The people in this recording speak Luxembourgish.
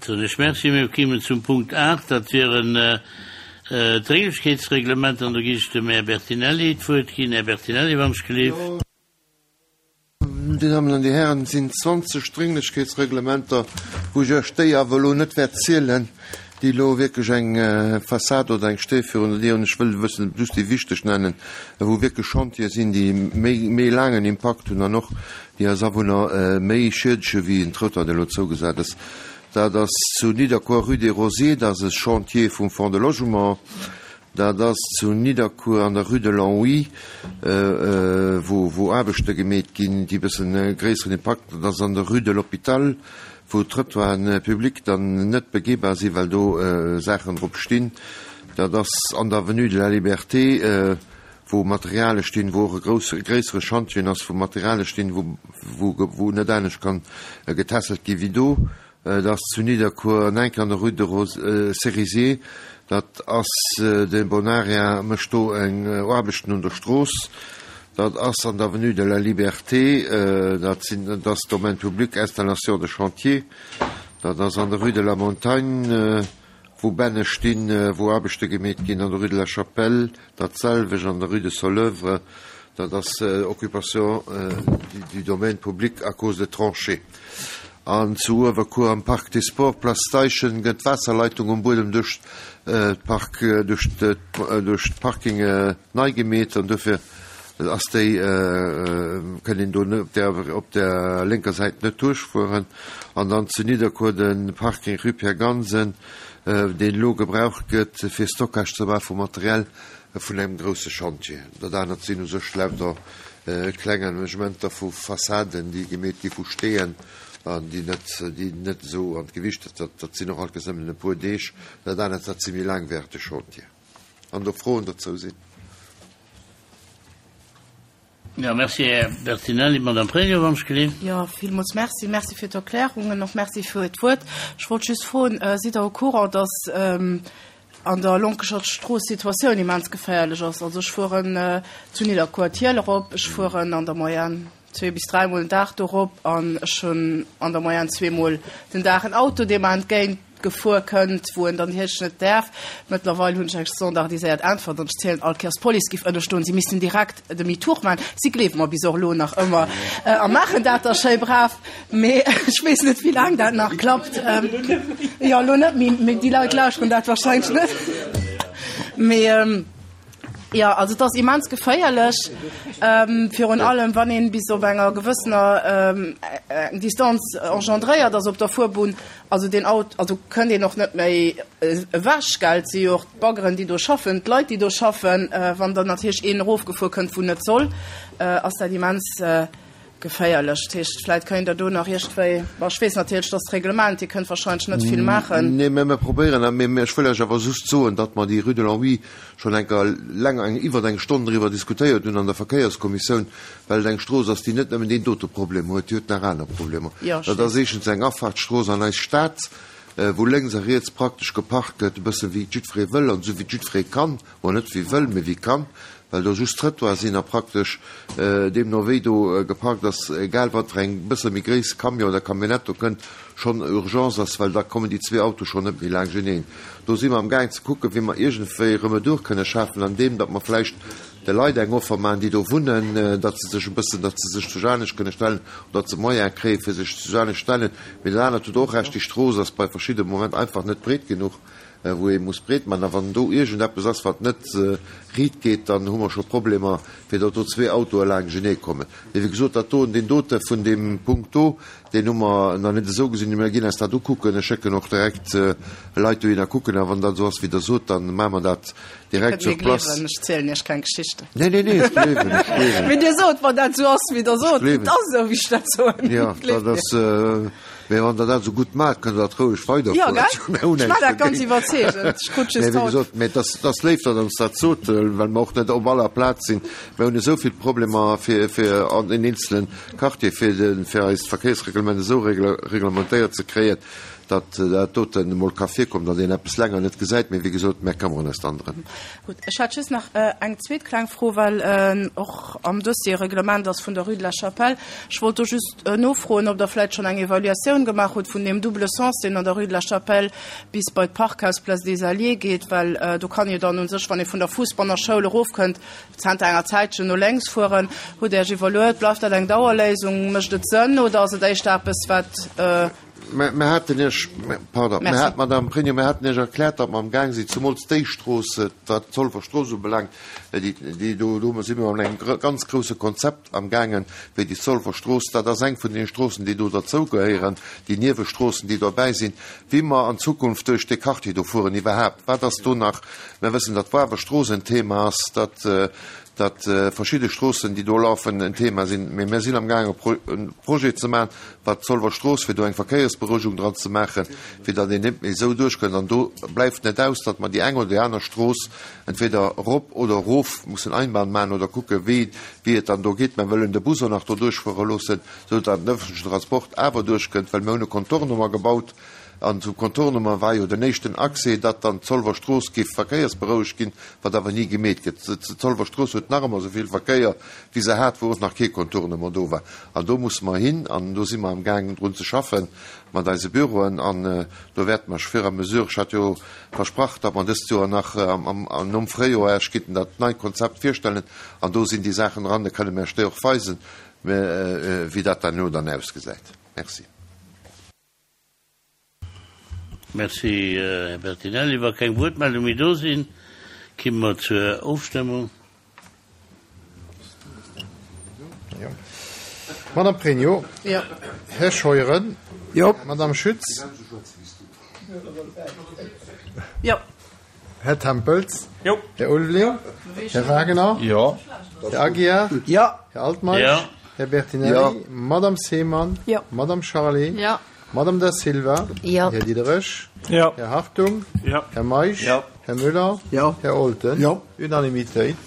Soen ech Merci. Mir kéimen zum Punkt 8, dat wieren d'Drénglechkeetsreglementer. An do ginn ech dem Här Bertinelli d'Wuert ginn. Här Bertinelli, wann ech gelift. Dir Dammen an Dir Hären, et sinn 20 Drénglechkeetsreglementer, wou ech Iech déi awer elo net wäert zielen, déi elo wierklech eng Fassad oder eng Stee virun der Dier hunn. Ech wëll e bëssen just déi wichteg nennen, wou wierklech Chantiere sinn, déi méi, méi laangen Impakt hunn an och déi eis Awunner méi schiedege wéi en Trottoir, deen elo zougesat ass. Dat ass zu Nidderkuer, Rue des Rosiers, dat ass e Chantier vum Fonds de Logement. Dat ass zu Nidderkuer an der Rue de Longwy, wou Aarbechte gemeet ginn, déi e bëssen e gréisseren Impakt hunn. Dat ass an der Rue de l'Hôpital, wou d'Trottoiren publics dann net begehbar sinn, well do Saachen drop stinn. Dat ass an der Avenue de la Liberté, wou Materiale stinn, wou och e grousse, gréissere Schantjen ass, wou Materiale stinn, wou net anescht kann getässelt gi wéi do. Et ass zu Nidderkuer an enk an der Rue de Cerisier. Dat ass de Bonaria mécht do eng Aarbechten un der Strooss. Dat ass an der Avenue de la Liberté. Dat sinn, dat ass Domaine public, Installation de chantier. Dat ass an der Rue de la Montagne, wou Bänne stinn, wou Aarbechte gemeet ginn. An der Rue de la Chapelle dat selwecht. An der Rue de Soleuvre, dat ass Occupation du domaine public à cause de tranchées. An zu Uewerkuer am Parc des Sports, Place Steichen, gëtt d'Waasserleitung um Buedem duerch d'Park, duerch d'Parking nei gemeet an dofir ass déi, kënnt een do op der op der lénker Säit net duerchfueren. An dann zu Nidderkuer de Parking Rue Pierre Gansen, deen elo gebraucht gëtt fir Stockage ze maache vu Material vun engem grousse Schantje. Dat anert sinn u sech lauter kleng Aménagementer vu Fassaden, déi gemeet gi vu Steeën an déi net, déi net esou an d'Gewicht, dat, dat sinn och alt nëmmen e puer Deeg. Dat anert, dat si méi laangwäerteg Chantier. An do Froen dozou sinn. Jo, merci, Här Bertinelli. Madame Pregno, wann ech gelift. Jo, villmools merci. Merci fir d'Erklärungen, och merci fir d'Wuert. Ech wollt just froen, Sidd Der au courant, dass an der Lonkecher Strooss d'Situatioun immens geféierlech ass. Also ech fueren zu Nidderkuer d'Hiel erop, ech fueren an der Moyenne zwee bis dräimol den Dag do erop an ech hunn an der Moyenne zweemol den Dag en Auto, dee mer entgéint gefuer kënnt, wou en dann hierch net däerf. Mëttlerweil hunn ech eng standardiséiert Äntwert an ech zielen all Kéiers, d'Police giff ënnestoen, si missten direkt Demi-tour maachen. Si gleewe mer bis och elo nach ëmmer a maachen dat da schéi brav. Mee ech weess net, wéi laang dat nach klappt. Jo, elo net méi, mee déi Leit lauschteren dat warscheinlech net. Mee jo, also et ass immens geféierlech, virun allem wann een bis op enger gewëssener eng Distanz engendréiert ass op der Fuerbunn. Also deen Auto, also kënnt een och net méi ewech, gell. Et si jo och d'Baggeren, déi do schaffen, d'Leit, déi do schaffen. Wann dann natierlech een erofgefuer kënnt, wou net soll, ass dat immens geféierlech. Dat heescht, vläit kéint Der do nach iergendwéi, bon, ech weess natierlech, et ass d'Reglement, Dir kënnt wahrscheinlech net vill maachen. Nee, mä mir probéieren, a mir, ech wëll lech awer just soen, datt mer déi Rue de Longwy schonn eng Kéier länger, eng, iwwer eng Stonn driwwer diskutéiert hunn an der Verkéierskommissioun, well et eng Strooss ass, déi net nëmmen deen dote Problem huet, déi huet nach aner Problemer. Jo, Dat ass éischtens eng Afahrtsstrooss an eis Stad, wou lénks a riets praktesch geparkt gëtt, e bësse wéi jiddweree wëll an esou wéi jiddweree kann, bon, net wéi wëll, mee wéi kann, well do just Trëttoire sinn a praktesch deemno wéi do geparkt ass, egal wat fir eng bësse méi gréiss Camion oder Camionnette do kënnt, schonn Urgence ass, well da kommen déi zwee Autoe schonn net méi laangeneen. Do si mer amgaang ze kucken, wéi mer iergendwéi Remedur kënne schafen, andeem datt mer vläicht de Leit eng Offer maachen, déi do wunnen, datt se sech e bëssen, datt se sech zu anescht kënne stellen oder datt se Moyene kréien, fir sech zu anescht stellen. Mee dat anert hutt Der och Recht, déi Strooss ass bei verschidde Moment einfach net breet genuch. wou ee muss breet maachen, a wann do iergendeppes ass, wat net riit geet, dann hu mer scho Problemer, fir datt do zwee Autoe laangenee kommen. Mee wéi gesot, dat doen, deen dote vun deem Punkt do, deen hu mer nach net esou gesinn. Mir ginn eis dat ukucken. Ech schécken och direkt Leit dohinner kucken. A wann dat esou ass, wéi Der sot, da maache mer dat direkt sur place. Dir kënnt mir gleewen, ech zielen Iech keng Geschichten. Nee, nee, nee, ech gleewen, ech gleewen. Mee Dir sot, wann dat esou ass, wéi Der sot, et ass esou, wéi ech dat soen. Jo, dat ass. Mee wann der dat esou gutt maacht, kënnt der dat roueg weiderfueren. Jo, gell? Ech maachen dat ganz iwwerzeegend. Ech krut just haut. Mee wéi gesot, mee et ass, et ass léif, datt Der ons dat sot, well mer och net op aller Plaz sinn. Mir hunn esou vill Problemer fir, fir an den eenzele Quartier, fir de, fir eist Verkéiersreglement esou reglementéiert ze kréien. datt dat doten emol ka virkommen, datt een eppes länger net gesäit. Mee wéi gesot, mär këmmeren eis dann drëm. Gutt, ech hätt just nach eng zweet kleng Fro, well och am Dossier e Reglement ass vun der Rue de la Chapelle. Ech wollt do just nofroen, ob Der vläicht schonn eng Evaluatioun gemaach hutt vun deem double sens, deen an der Rue de la Chapelle bis bei d'Parkhaus Place des Alliés geet, well do kann jo dann u sech, wann ee vun der Fuesbanner Schoul erofkënnt, zanter enger Zäitchen no lénks fueren. Hutt Där Iech evaluéiert? Bleift dat eng Dauerléisung? Mécht et Sënn oder ass et éischter eppes, wat. Mir haten Iech, pardon, mir hat, Madame Pregno, mir haten Iech erkläert, datt mer amgaang sinn, zemools déi Strooss, wat d'Zolwer Strooss ubelaangt, déi, déi do, do si mer an engem ganz grouse Konzept amgaangen, wéi déi Zolwer Strooss, dat ass eng vun deene Stroossen, déi do derzougehéieren, déi Niewestroossen, déi dobäi sinn, wéi mer an Zukunft duerch dee Quartier do fueren iwwerhaapt, wat ass do nach, mir wëssen, datt d'Wawer Strooss en Thema ass, datt, datt verschidde Stroossen, déi do laufen, en Thema sinn. Mee mir sinn amgaangen, e Projet ze maachen, wat d'Zolwer Strooss, fir do eng Verkéiersberouegung dran ze maachen, fir datt een net méi esou duerchkënnt. An do bleift net aus, datt mer déi eng oder déi aner Strooss entweder erop oder erof mussen Einbahn maachen oder kucken, wéi, wéi et dann do geet. Mer wëllen de Bus och nach do duerchfuere loossen, esou datt den öffentlichen Transport awer duerchkënnt, well mir hunn e Contournement gebaut. An zum Contournement war jo den éischten Accès, datt dann d'Zolwer Strooss géif verkéiersberouegt ginn, wat awer ni gemeet gëtt. D'Zolwer Strooss huet nach ëmmer esou vill Verkéier, wéi se hat, wou och nach kee Contournement do war. An do musse mer hin an do si mer amgaangen drun ze schaffe mat eise Büroen. An do wäerte mer fur et à mesure, ech hat jo versprach, datt mer dëst Joer nach nom Fréijoer Iech gitten dat neit Konzept virstellen an do sinn déi Saachen dran, da kënne mer Iech déi och weisen, wéi dat dann elo dann ausgesäit. Merci. Merci, Här Bertinelli. Wa keng Wuertmeldung méi do sinn, kimme mer zur Ofstëmmung. Madame Pregno. Jo. Här Scheuren. Jo. Madame Schütz. Jo. Här Tempels. Jo. Här Ulveling. Här Wagener. Jo. Här Aguiar. Jo. Här Altmeisch. Jo. Här Bertinelli. Jo. Madame Seemann. Jo. Madame Charlé. Jo. Madame Da Silva. Jo. Här Diderich. Jo. Här Hartung. Jo. Här Meisch. Jo. Här Müller. Jo. Här Olten. Jo. Unanimitéit.